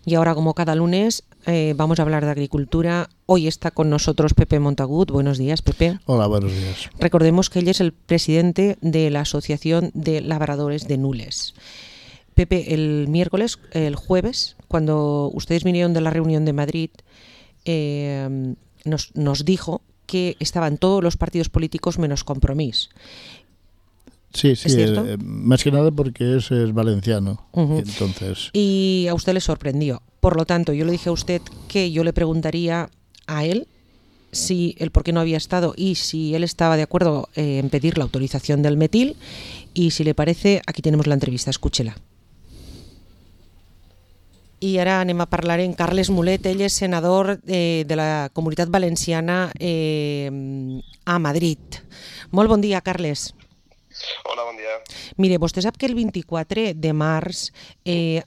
Y ahora, como cada lunes, vamos a hablar de agricultura. Hoy está con nosotros Pepe Montagut. Buenos días, Pepe. Hola, buenos días. Recordemos que él es el presidente de la Asociación de Labradores de Nules. Pepe, el jueves, cuando ustedes vinieron de la reunión de Madrid, nos dijo que estaban todos los partidos políticos menos Compromís. Sí, ¿Es cierto? Más que nada porque es valenciano. Uh-huh. Entonces... Y a usted le sorprendió. Por lo tanto, yo le dije a usted que yo le preguntaría a él si el por qué no había estado y si él estaba de acuerdo en pedir la autorización del metil. Y si le parece, aquí tenemos la entrevista, escúchela. I ara anem a parlar en Carles Mulet, ell és senador de la Comunitat Valenciana a Madrid. Molt bon dia, Carles. Hola, bon dia. Mire, vostè sap que el 24 de març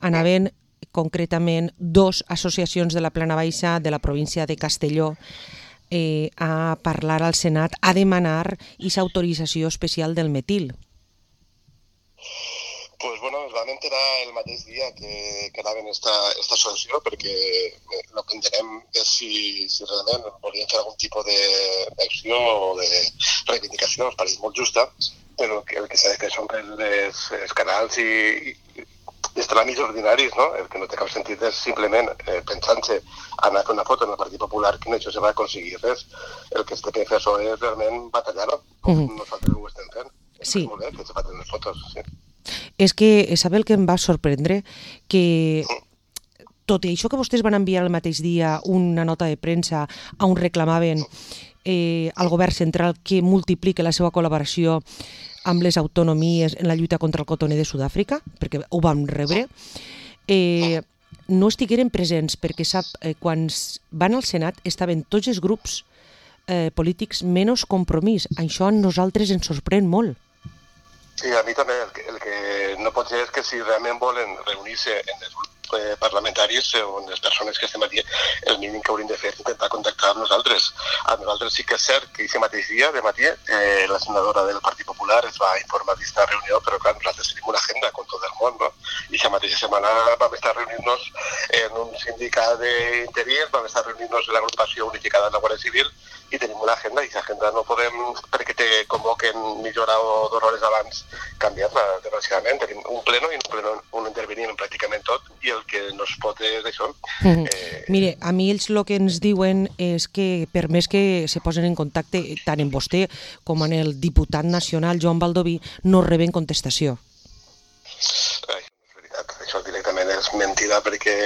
anaven concretament 2 associacions de la Plana Baixa de la província de Castelló a parlar al Senat, a demanar aquesta autorització especial del metil. Pues bueno, ens vam enterar el mateix dia que anaven esta associació perquè el que entenem és si realment volien fer algun tipus d'acció o de reivindicació, ens pareix molt justa, però el que s'ha de fer són els canals i els tràmits ordinaris, no? El que no té cap sentit és simplement pensant-se anar a fer una foto en el Partit Popular que no això se va aconseguir res. El que es té que fer això és realment batallar-ho, com nosaltres ho estem fent. Sí. És molt bé que se facin les fotos, sí. És que, sabe el que em va sorprendre? Que tot i això que vostès van enviar el mateix dia una nota de premsa on reclamaven al govern central que multipliqui la seva col·laboració amb les autonomies en la lluita contra el cotoner de Sud-àfrica, perquè ho vam rebre, no estigueren presents, perquè sap, quan van al Senat estaven tots els grups polítics menys Compromís. Això a nosaltres ens sorprèn molt. Sí, a mi també el que no pot ser és que si realment volen reunir-se en els grups parlamentaris o en les persones que estem aquí, el mínim que hauríem de fer és intentar contactar amb nosaltres. A nosaltres sí que és cert que aquest mateix dia, de matí, la senadora del Partit Popular es va informar d'esta reunió, però clar, nosaltres tenim una agenda con tot el món, no? I aquesta mateixa setmana vam estar reunint-nos en un sindicat d'interins, vam estar reunint-nos en l'agrupació unificada de la Guàrdia Civil i tenim una agenda, i aquesta agenda no podem, perquè te convoquen mitja hora o 2 hores abans, canviar-la, desgraciadament. Tenim un pleno i en un pleno on intervenim pràcticament tot, i el que no es pot és això. Mire, a mi ells el que ens diuen és que per més que se posen en contacte tant en vostè com en el diputat nacional Joan Baldoví, no reben contestació. Ai, és veritat, això directament és mentida perquè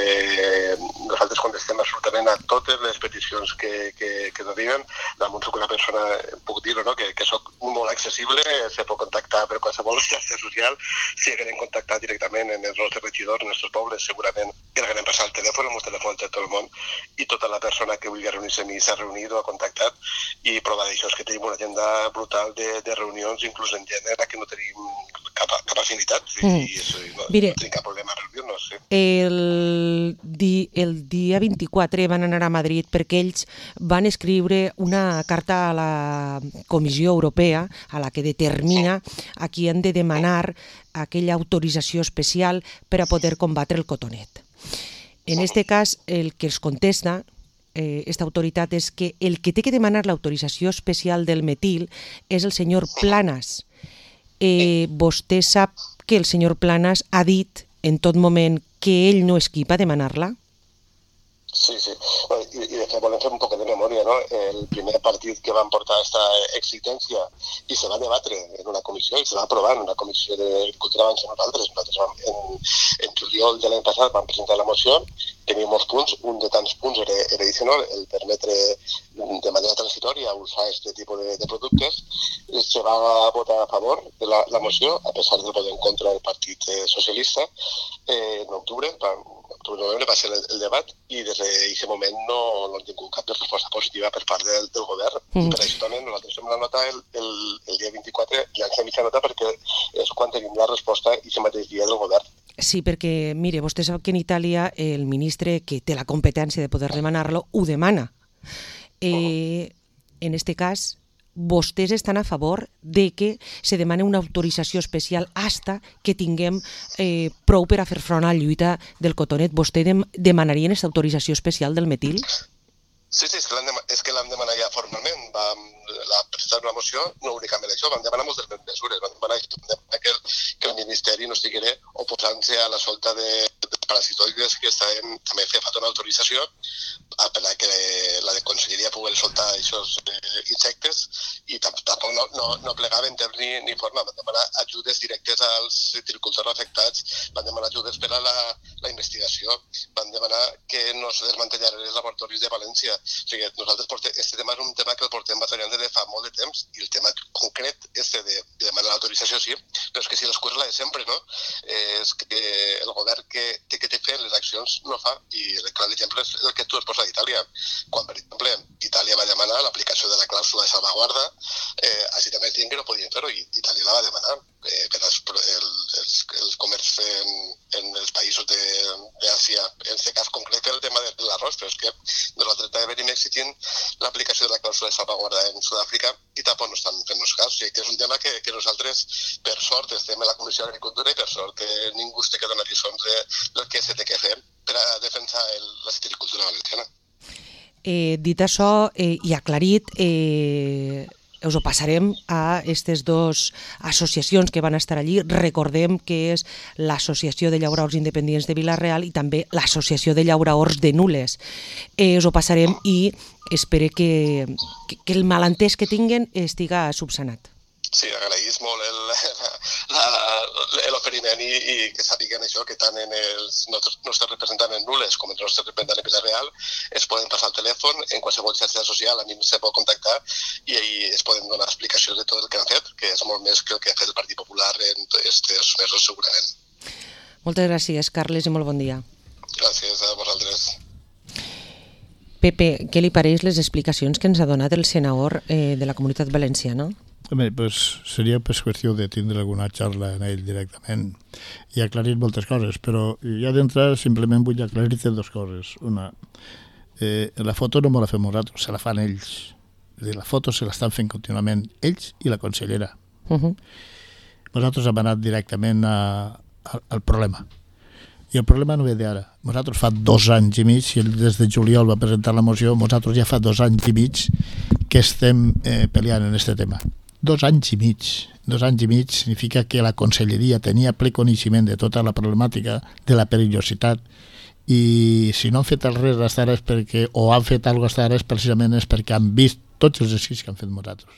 nosaltres contestem absolutament a totes les peticions que ens arriben. Damunt soc una persona, puc dir-ho, no? que soc molt accessible, se pot contactar per qualsevol xarxa social. Si haguem contactat directament en els nostres regidors, en els nostres pobles, segurament que haguem passat el telèfon, amb el telèfon de tot el món, i tota la persona que vulgui reunir-se amb mi s'ha reunit o ha contactat, i prova d'això és que tenim una agenda brutal de reunions, inclús en gènere, que no tenim cap afinitat, i això, no tenim cap problema a reunir-nos. Sí. El dia 24 van anar a Madrid perquè ells van escriure una carta a la Comissió Europea a la que determina a qui han de demanar aquella autorització especial per a poder combatre el cotonet. En este cas, el que els contesta esta autoritat és que el que té que demanar l'autorització especial del metil és el senyor Planas. Vostè sap que el senyor Planas ha dit en tot moment que ell no és qui va demanar-la? Sí. I de fet volem fer un poc de memòria, no? El primer partit que van portar aquesta exigència i se va debatre en una comissió i se va aprovar en una comissió d'agricultura abans que nosaltres. Nosaltres en juliol de l'any passat vam presentar la moció, tenia molts punts, un de tants punts era addicional, el permetre de manera transitòria usar aquest tipus de productes. Se va votar a favor de la moció, a pesar del vot en contra del Partit Socialista, en octubre novembre va ser el debat i des d'aquest moment no hem tingut cap resposta positiva per part del govern. Per això també nosaltres fem la nota el dia 24 i ens fem mitja nota perquè és quan tenim la resposta aquest mateix dia del govern. Sí, perquè, mire, vostè sap que en Itàlia el ministre que té la competència de poder demanar-lo ho demana. En este cas, vostès estan a favor de que se demani una autorització especial hasta que tinguem prou per a fer front a la lluita del cotonet. Vostè demanarien aquesta autorització especial del metil? Sí, és que l'hem demanat ja formalment. Vam presentar una moció, no únicament això, vam demanar moltes mesures. Vam demanar que el Ministeri no estigués oposant-se a la solta de parasitoides que també feia falta una autorització perquè la Conselleria pogués soltar aquests insectes i tampoc no plegava en temps ni forma. Van demanar ajudes directes als citricultors afectats, van demanar ajudes per a la investigació, van demanar que no se desmantellaran els laboratoris de València. O sigui, nosaltres este tema és un tema que el portem batallant des de fa molt de temps i el tema concret de demanar l'autorització sí, però és que si l'excusa la de sempre, no? És que el govern que té que fer les accions no fa, i el clar exemple és el que tu has posat d'Itàlia. Quan, per exemple, Itàlia va demanar l'aplicació de la clàusula de salvaguarda, així també es diuen que no podien fer-ho, i Itàlia la va demanar per el comerç en els països d'Àsia, en aquest cas concret el tema de l'arròs, però és que nosaltres també venim exigint l'aplicació de la clàusula de salvaguarda en Sud-àfrica i tampoc no estan fent-nos cas. O sigui, que és un tema que nosaltres, per sort, estem en la Comissió d'Agricultura i per sort ningú es té que donar lliçons del que se té que fer per a defensar la citricultura valenciana. Dit això i aclarit, us ho passarem a aquestes dues associacions que van estar allí. Recordem que és l'Associació de Llauraors Independents de Vila-real i també l'Associació de Llauraors de Nules. Us ho passarem i espero que el malentès que tinguen estiga subsanat. Sí, agraïs molt l'oferiment i que sàpiguen això, que tant en els nostres representants en Nules com en els nostres representants en Vila-real es poden passar al telèfon, en qualsevol xarxa social a mi se pot contactar i es poden donar explicacions de tot el que han fet, que és molt més que el que ha fet el Partit Popular en aquests mesos segurament. Moltes gràcies, Carles, i molt bon dia. Gràcies a vosaltres. Pepe, què li pareix les explicacions que ens ha donat el senador de la Comunitat Valenciana? Home, pues seria qüestió de tindre alguna xarra en ell directament i aclarir moltes coses, però ja d'entrar simplement vull aclarir-te dues coses. Una, la foto no me la fem nosaltres, se la fan ells. La foto se l'estan fent contínuament ells i la consellera. Nosaltres hem anat directament al problema. I el problema no ve d'ara. Nosaltres fa 2 anys i mig, i des de juliol va presentar la moció, nosaltres ja fa 2 anys i mig que estem peleant en aquest tema. 2 anys i mig. 2 anys i mig significa que la Conselleria tenia ple coneixement de tota la problemàtica, de la perillositat, i si no han fet res fins ara és perquè, o han fet alguna cosa fins ara és precisament perquè han vist tots els exercicis que han fet nosaltres.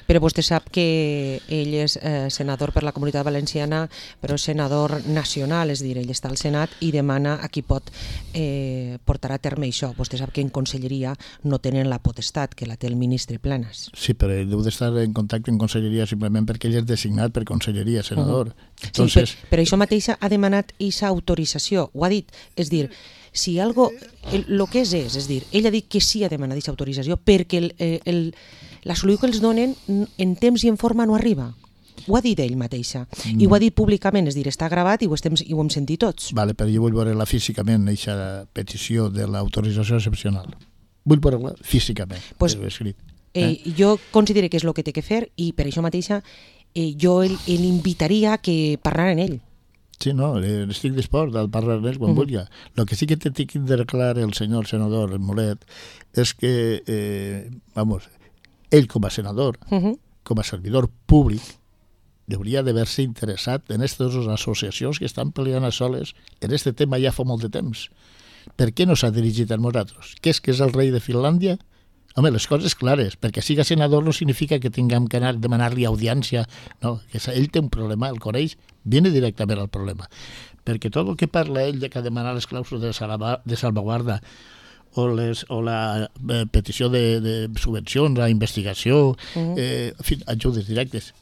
Però vostè sap que ell és senador per la Comunitat Valenciana, però és senador nacional, és a dir, ell està al Senat i demana a qui pot portar a terme això. Vostè sap que en Conselleria no tenen la potestat, que la té el ministre Planas. Sí, però ell deu d'estar en contacte amb Conselleria simplement perquè ell és designat per Conselleria, senador. Entonces... Sí, però això mateix ha demanat aquesta autorització, ho ha dit, és dir, si algo, el que és dir, ell ha dit que sí ha demanat aquesta autorització perquè la solució que els donen en temps i en forma no arriba. Ho ha dit ell mateixa. I ho ha dit públicament, és dir, està gravat i ho hem sentit tots. Vale, però jo vull veure-la físicament, aquesta petició de l'autorització excepcional. Vull veure-la físicament, pues, escrit. Jo considero que és el que té que fer i per això mateixa jo l'invitaria a que parlaren ell. Sí, no, estic dispost a parlar d'ells quan vulgui. El que sí que té que declarar el senyor senador, el Molet, és que, ell com a senador, com a servidor públic, hauria d'haver-se interessat en aquestes dues associacions que estan peleant a soles en aquest tema ja fa molt de temps. Per què no s'ha dirigit a nosaltres? Què és el rei de Finlàndia? Home, les coses clares, perquè siga senador no significa que tinguem que anar a demanar-li audiència, no, que ell té un problema, el coneix, viene directament al problema, perquè tot el que parla ell de que demanar les clàusules de salvaguarda o la petició de subvencions a investigació, en fi, ajudes directes,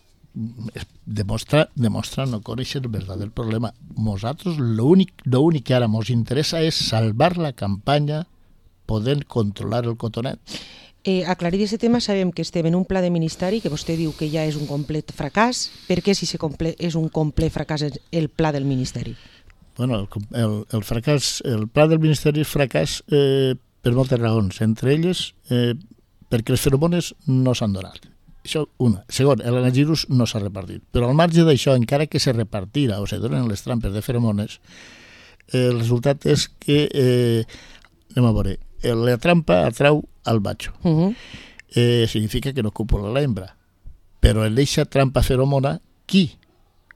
demostra no conèixer el verdader problema. Nosaltres l'únic que ara ens interessa és salvar la campanya podent controlar el cotonet. Aclarir aquest tema, sabem que estem en un pla de ministeri que vostè diu que ja és un complet fracàs. Per què si és un complet fracàs el pla del ministeri? Bueno, el pla del ministeri és fracàs per moltes raons. Entre elles, perquè les feromones no s'han donat. Això, una. Segon, l'anagirus no s'ha repartit. Però al marge d'això, encara que se repartira o se donen les trampes de feromones, el resultat és que, anem a veure, la trampa atrau al macho. Significa que no copula la hembra. Però en aquesta trampa feromona, qui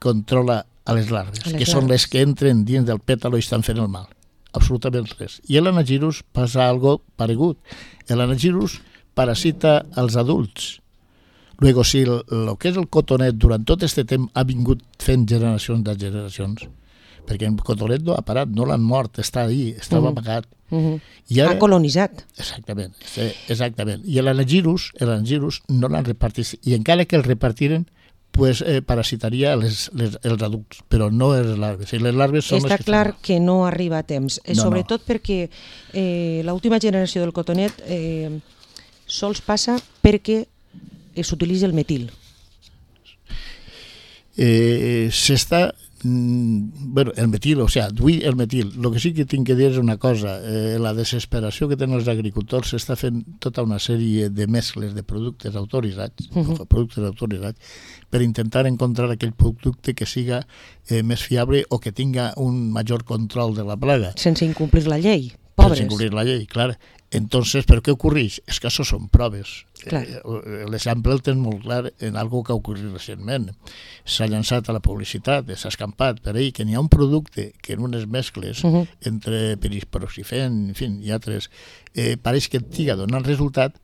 controla a les larves? Que són les que entren dins del pètalo i estan fent el mal. Absolutament res. I l'anagirus passa algo paregut. L'anagirus parasita als adults. Luego, si el que és el cotonet durant tot aquest temps ha vingut fent generacions de generacions, perquè el cotonet no ha parat, no l'han mort, està ahí, estava amagat. I ara, ha colonitzat. Exactament. I l'anagirus no l'han repartit, i encara que el repartiren, pues, parasitaria els adults, però no les larves. I les larves són Està clar que no arriba a temps, sobretot perquè l'última generació del cotonet sols passa perquè s'utilitza el metil. S'està... Bueno, el metil, o sigui, avui el metil. El que sí que tinc que dir és una cosa. La desesperació que tenen els agricultors s'està fent tota una sèrie de mescles de productes autoritzats, per intentar encontrar aquell producte que siga més fiable o que tinga un major control de la plaga. Sense incomplir la llei, pobres. Sense incomplir la llei, clar. Entonces, ¿pero qué ocurreix? És que això són proves. L'exemple el tens molt clar en algo que ha ocorrit recentment. S'ha llançat a la publicitat, s'ha escampat per ahí, que n'hi ha un producte que en unes mescles entre perisproxifen, en fi, i altres, pareix que estiga donant resultat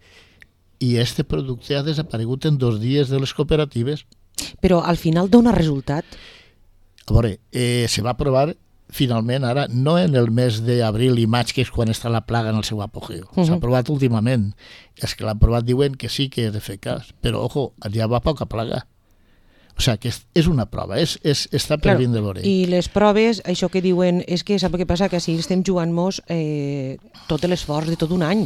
i este producte ha desaparegut en 2 dies de les cooperatives. Però al final dona resultat? A veure, se va aprovar finalment ara, no en el mes d'abril i maig, que és quan està la plaga en el seu apogeu. S'ha aprovat últimament. Els que l'han aprovat diuen que sí que és eficaç, però, ojo, ja va poca plaga. O sigui, que és una prova, està per vindre a veure. I les proves, això que diuen, és que sap què passa? Que així estem jugant-nos tot l'esforç de tot un any.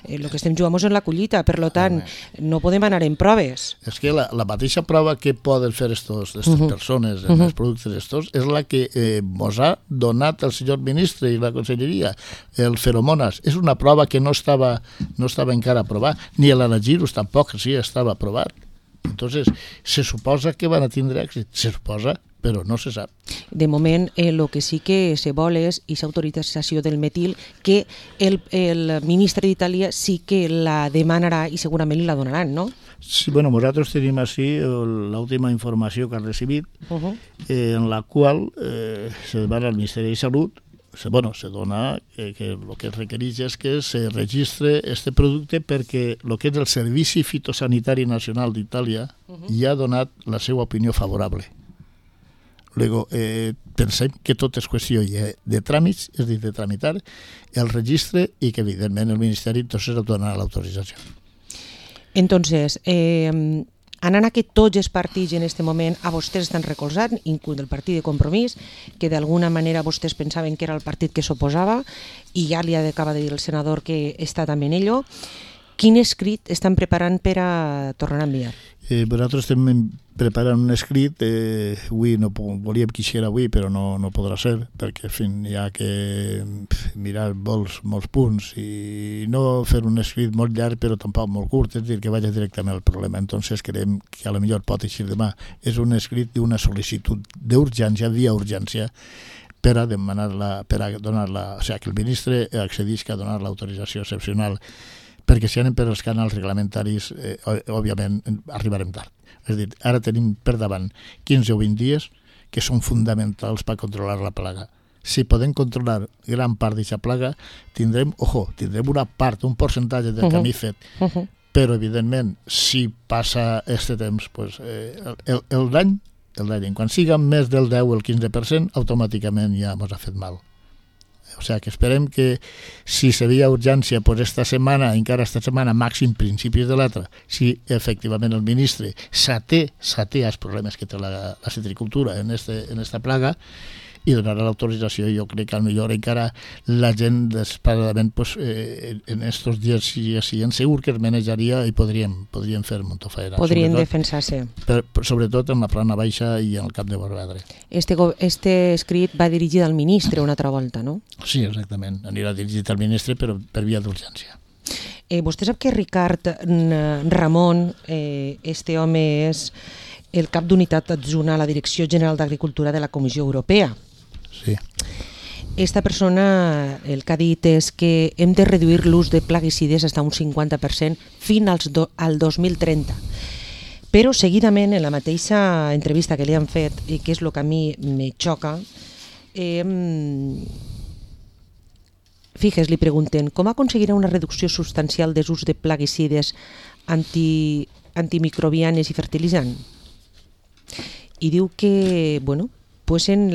El que estem jugant-nos en la collita, per tant, no podem anar en proves. És que la mateixa prova que poden fer aquestes persones en els productes estos és la que mos ha donat el senyor ministre i la conselleria, el feromonas. És una prova que no estava encara aprovat, ni l'anagirus tampoc sí estava aprovat. Entonces, se suposa que van a tindre èxit, se suposa, però no se sap. De moment, el que sí que se vol és aquesta autorització del metil, que el ministre d'Itàlia sí que la demanarà i segurament la donaran, no? Sí, bueno, nosaltres tenim així l'última informació que ha recibit, en la qual se demana al Ministeri de Salut, se dona que el que es requereix és que se registre este producte perquè el que és el Servici Fitosanitari Nacional d'Itàlia ja ha donat la seva opinió favorable. Luego, pensem que tot és qüestió de tràmits, és a dir, de tramitar el registre i que, evidentment, el Ministeri entonces donarà l'autorització. Entonces, anant a que tots els partits en aquest moment a vostès estan recolzant, inclús el partit de Compromís, que d'alguna manera vostès pensaven que era el partit que s'oposava, i ja li acaba de dir el senador que està també en ello. Quin escrit estan preparant per a tornar a enviar? Nosaltres estem preparant un escrit, avui no volíem que hi era avui, però no podrà ser, perquè en fi, hi ha que mirar molts punts i no fer un escrit molt llarg però tampoc molt curt, és a dir, que vagi directament al problema. Entonces creiem que a lo millor pot eixir demà. És un escrit d'una sol·licitud d'urgència, via urgència, per a demanar-la, per a donar-la, o sigui, que el ministre accedisca a donar l'autorització excepcional, perquè si anem per els canals reglamentaris, òbviament, arribarem tard. És a dir, ara tenim per davant 15 o 20 dies que són fonamentals per controlar la plaga. Si podem controlar gran part d'aquesta plaga, tindrem una part, un percentatge del camí fet. Però, evidentment, si passa aquest temps, pues, el dany, quan siga més del 10 o el 15%, automàticament ja ens ha fet mal. O sigui, que esperem que si seria urgència esta setmana, encara esta setmana, màxim principis de l'altra, si efectivament el ministre s'até als problemes que té la citricultura en esta plaga i donarà l'autorització. Jo crec que millor encara la gent desesperadament en estos dies siguin segur que es manejaria i podrien fer molta feina. Podrien defensar-se. Sobretot en la plana baixa i en el Camp de Morvedre. Este escrit va dirigit al ministre una altra volta, no? Sí, exactament. Anirà dirigit al ministre, però per via d'urgència. Vostè sap que Ricard Ramon, este home és el cap d'unitat adjunt a la Direcció General d'Agricultura de la Comissió Europea. Sí. Esta persona el que ha dit és que hem de reduir l'ús de plaguicides fins a un 50% fins al 2030. Però seguidament, en la mateixa entrevista que li han fet, i que és el que a mi me xoca, li pregunten com aconseguirà una reducció substancial dels ús de plaguicides antimicrobianes i fertilitzants. I diu que, pues en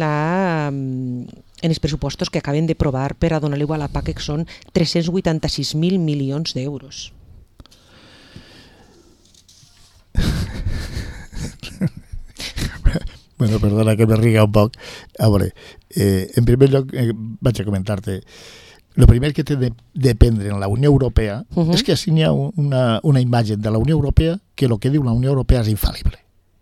els pressupostos que acaben de provar per a donar-li a la PAC, que són 386.000 milions d'euros. Perdona que me riga un poc. A veure, en primer lloc vaig a comentar-te, el primer que té de prendre en la Unió Europea és que així n'hi ha una imatge de la Unió Europea que el que diu la Unió Europea és infal·lible.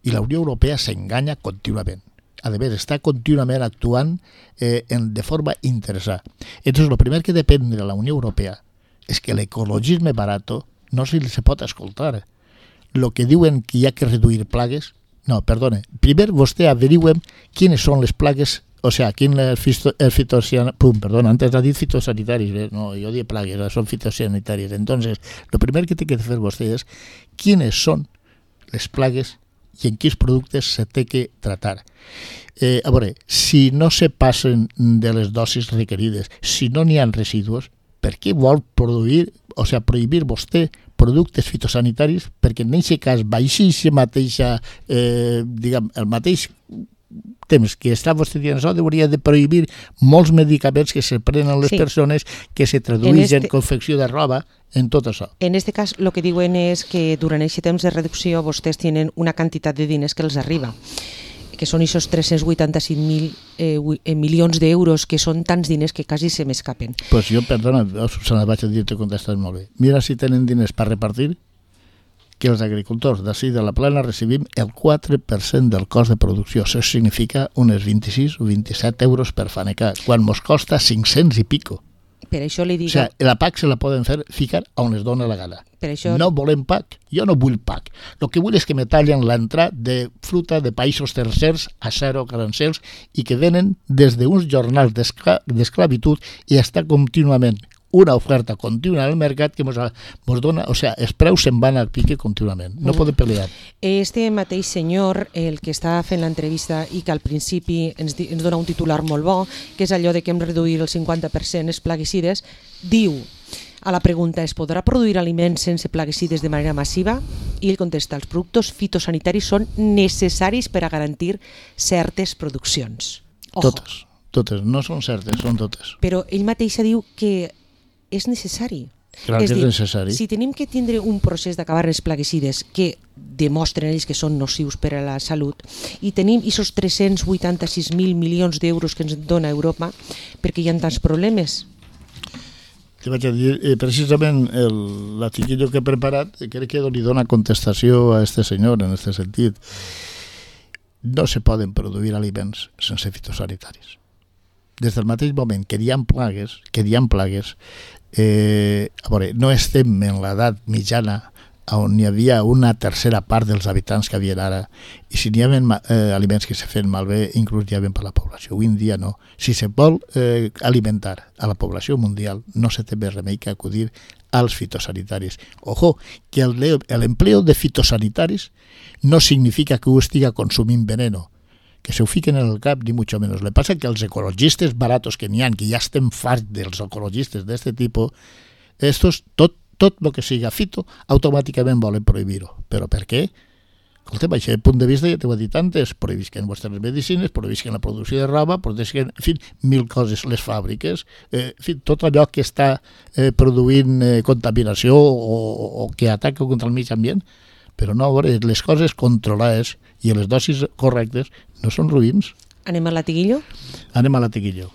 I la Unió Europea s'enganya contínuament. A veure, està contínuament actuant de forma interessada. Entonces, el primer que depèn de la Unió Europea és que l'ecologisme barato no se pot escoltar. Lo que diuen que hi ha que reduir plagues, no, perdone, primer vostè averigüem quines són les plagues, o sea, antes ha dit fitosanitaris, no, jo dic plagues, són fitosanitaris. Entonces, lo primer que té que fer vostè és quines són les plagues i en quins productes se té que tratar. A veure, si no se passen de les dosis requerides, si no n'hi ha residus, per què vol prohibir vostè productes fitosanitaris? Perquè en aquest cas, baixíssima mateixa, el mateix temps que està vostè dient això, hauria de prohibir molts medicaments que se prenen les persones, que se tradueixen en confecció de roba, en tot això. En aquest cas, el que diuen és que durant aquest temps de reducció vostès tenen una quantitat de diners que els arriba, que són aquests 385.000 milions d'euros, que són tants diners que quasi se m'escapen. Pues jo, perdona, Susana, vaig a dir-te contestat molt bé. Mira si tenen diners per repartir, que els agricultors d'ací de la Plana recibim el 4% del cost de producció. Això significa unes 26 o 27 euros per fanecar, quan mos costa 500 i pico. Per això li dic... O sigui, la PAC se la poden ficar on es dona la gana. Per això... No volem PAC. Jo no vull PAC. El que vull és que me tallen l'entrada de fruta de països tercers a 0 arancels i que venen des d'uns jornals d'esclavitud i està contínuament una oferta contínua al mercat que mos dona, o sigui, els preus se'n van al pique contínuament, no poden pelear. Este mateix senyor, el que està fent l'entrevista i que al principi ens dona un titular molt bo, que és allò de que hem reduït el 50% els plaguicides, diu a la pregunta, es podrà produir aliments sense plaguicides de manera massiva? I ell contesta, els productes fitosanitaris són necessaris per a garantir certes produccions. Totes, no són certes, són totes. Però ell mateix diu que és necessari. Clar que és necessari. Si tenim que tindre un procés d'acabar els plaguicides que demostren ells que són nocius per a la salut i tenim aquests 386.000 milions d'euros que ens dona Europa, perquè hi ha tants problemes. Te vaig a dir, precisament l'article que he preparat crec que li dona contestació a este senyor en aquest sentit. No se poden produir aliments sense fitosanitaris. Des del mateix moment que hi ha plagues, a veure, no estem en l'edat mitjana on hi havia una tercera part dels habitants que hi havia ara, i si n'hi havia aliments que se feien malbé, inclús hi havia per la població. Avui en dia no. Si se vol alimentar a la població mundial, no se té més remei que acudir als fitosanitaris. Ojo, que l'empleo de fitosanitaris no significa que ho estiga consumint veneno, que se ho fiquen en el cap, ni mucho menos. Le pasa que els ecologistes baratos que n'hi ha, que ja estem farts dels ecologistes d'aquest tipus, estos, tot el que siga fito, automàticament volen prohibir-ho. Però per què? Escolta, baix el punt de vista, ja t'ho he dit antes, prohibisquen vostres medicines, prohibisquen la producció de roba, prohibisquen, en fi, 1000 coses, les fàbriques, en fi, tot allò que està produint contaminació o que ataca contra el mig ambient, però no, a veure, les coses controlades i les dosis correctes no són ruïns. Anem a latiguillo? Anem a latiguillo.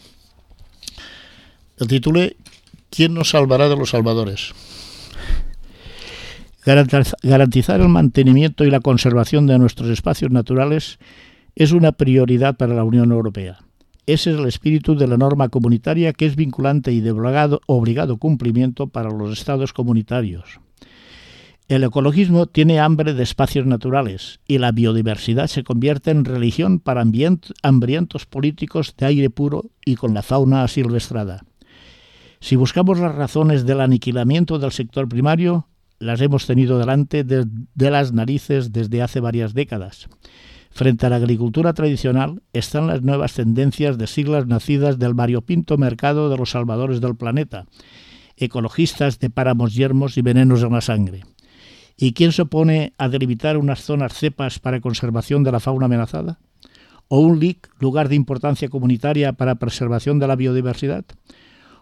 El títol és ¿Quién nos salvará de los salvadores? Garantizar el mantenimiento y la conservación de nuestros espacios naturales es una prioridad para la Unión Europea. Ese es el espíritu de la norma comunitaria, que es vinculante y de obligado cumplimiento para los estados comunitarios. El ecologismo tiene hambre de espacios naturales y la biodiversidad se convierte en religión para hambrientos políticos de aire puro y con la fauna asilvestrada. Si buscamos las razones del aniquilamiento del sector primario, las hemos tenido delante de las narices desde hace varias décadas. Frente a la agricultura tradicional están las nuevas tendencias de siglas nacidas del variopinto mercado de los salvadores del planeta, ecologistas de páramos yermos y venenos en la sangre. ¿Y quién se opone a delimitar unas zonas cepas para conservación de la fauna amenazada? ¿O un LIC, lugar de importancia comunitaria para preservación de la biodiversidad?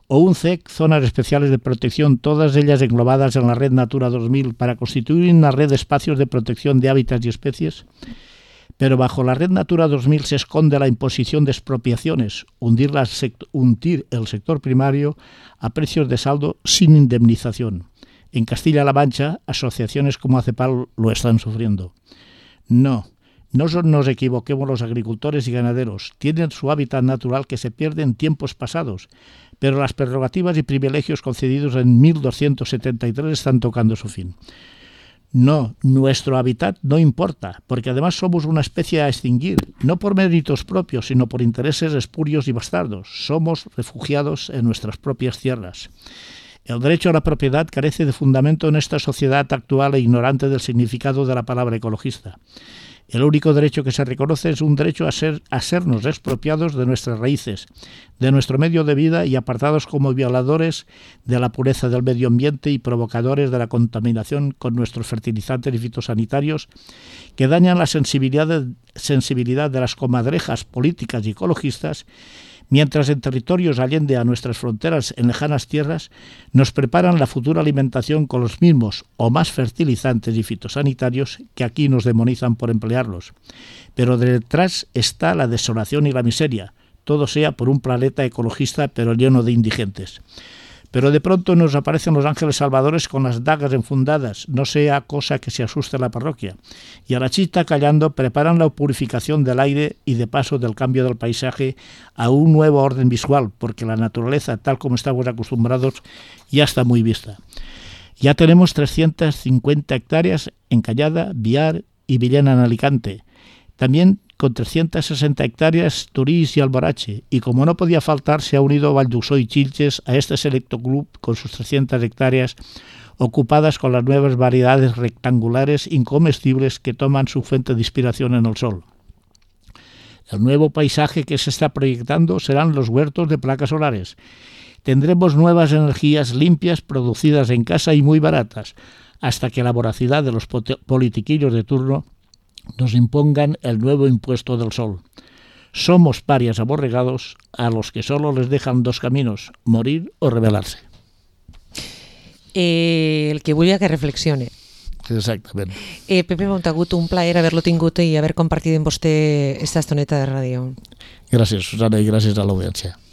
¿O un CEC, zonas especiales de protección, todas ellas englobadas en la red Natura 2000 para constituir una red de espacios de protección de hábitats y especies? Pero bajo la red Natura 2000 se esconde la imposición de expropiaciones, hundir el sector primario a precios de saldo sin indemnización. En Castilla-La Mancha, asociaciones como ACEPAL lo están sufriendo. No nos equivoquemos, los agricultores y ganaderos tienen su hábitat natural que se pierde en tiempos pasados, pero las prerrogativas y privilegios concedidos en 1273 están tocando su fin. No, nuestro hábitat no importa, porque además somos una especie a extinguir, no por méritos propios, sino por intereses espurios y bastardos. Somos refugiados en nuestras propias tierras. El derecho a la propiedad carece de fundamento en esta sociedad actual e ignorante del significado de la palabra ecologista. El único derecho que se reconoce es un derecho a sernos expropiados de nuestras raíces, de nuestro medio de vida y apartados como violadores de la pureza del medio ambiente y provocadores de la contaminación con nuestros fertilizantes y fitosanitarios que dañan la sensibilidad de las comadrejas políticas y ecologistas, mientras en territorios allende a nuestras fronteras en lejanas tierras nos preparan la futura alimentación con los mismos o más fertilizantes y fitosanitarios que aquí nos demonizan por emplearlos. Pero detrás está la desolación y la miseria, todo sea por un planeta ecologista pero lleno de indigentes. Pero de pronto nos aparecen los ángeles salvadores con las dagas enfundadas, no sea cosa que se asuste la parroquia, y a la chita callando preparan la purificación del aire y de paso del cambio del paisaje a un nuevo orden visual, porque la naturaleza, tal como estamos acostumbrados, ya está muy vista. Ya tenemos 350 hectáreas en Callada, Biar y Villena en Alicante. También con 360 hectáreas Turís y Alborache, y como no podía faltar, se ha unido Valldusó y Chilches a este selecto club con sus 300 hectáreas ocupadas con las nuevas variedades rectangulares incomestibles que toman su fuente de inspiración en el sol. El nuevo paisaje que se está proyectando serán los huertos de placas solares. Tendremos nuevas energías limpias producidas en casa y muy baratas, hasta que la voracidad de los politiquillos de turno nos impongan el nuevo impuesto del sol. Somos parias aborregados a los que solo les dejan dos caminos, morir o rebelarse. El que volia que reflexione. Exactament. Pepe Montagut, un plaer haver-lo tingut i haver compartit amb vostè esta estoneta de ràdio. Gràcies, Susana, i gràcies a l'audiència.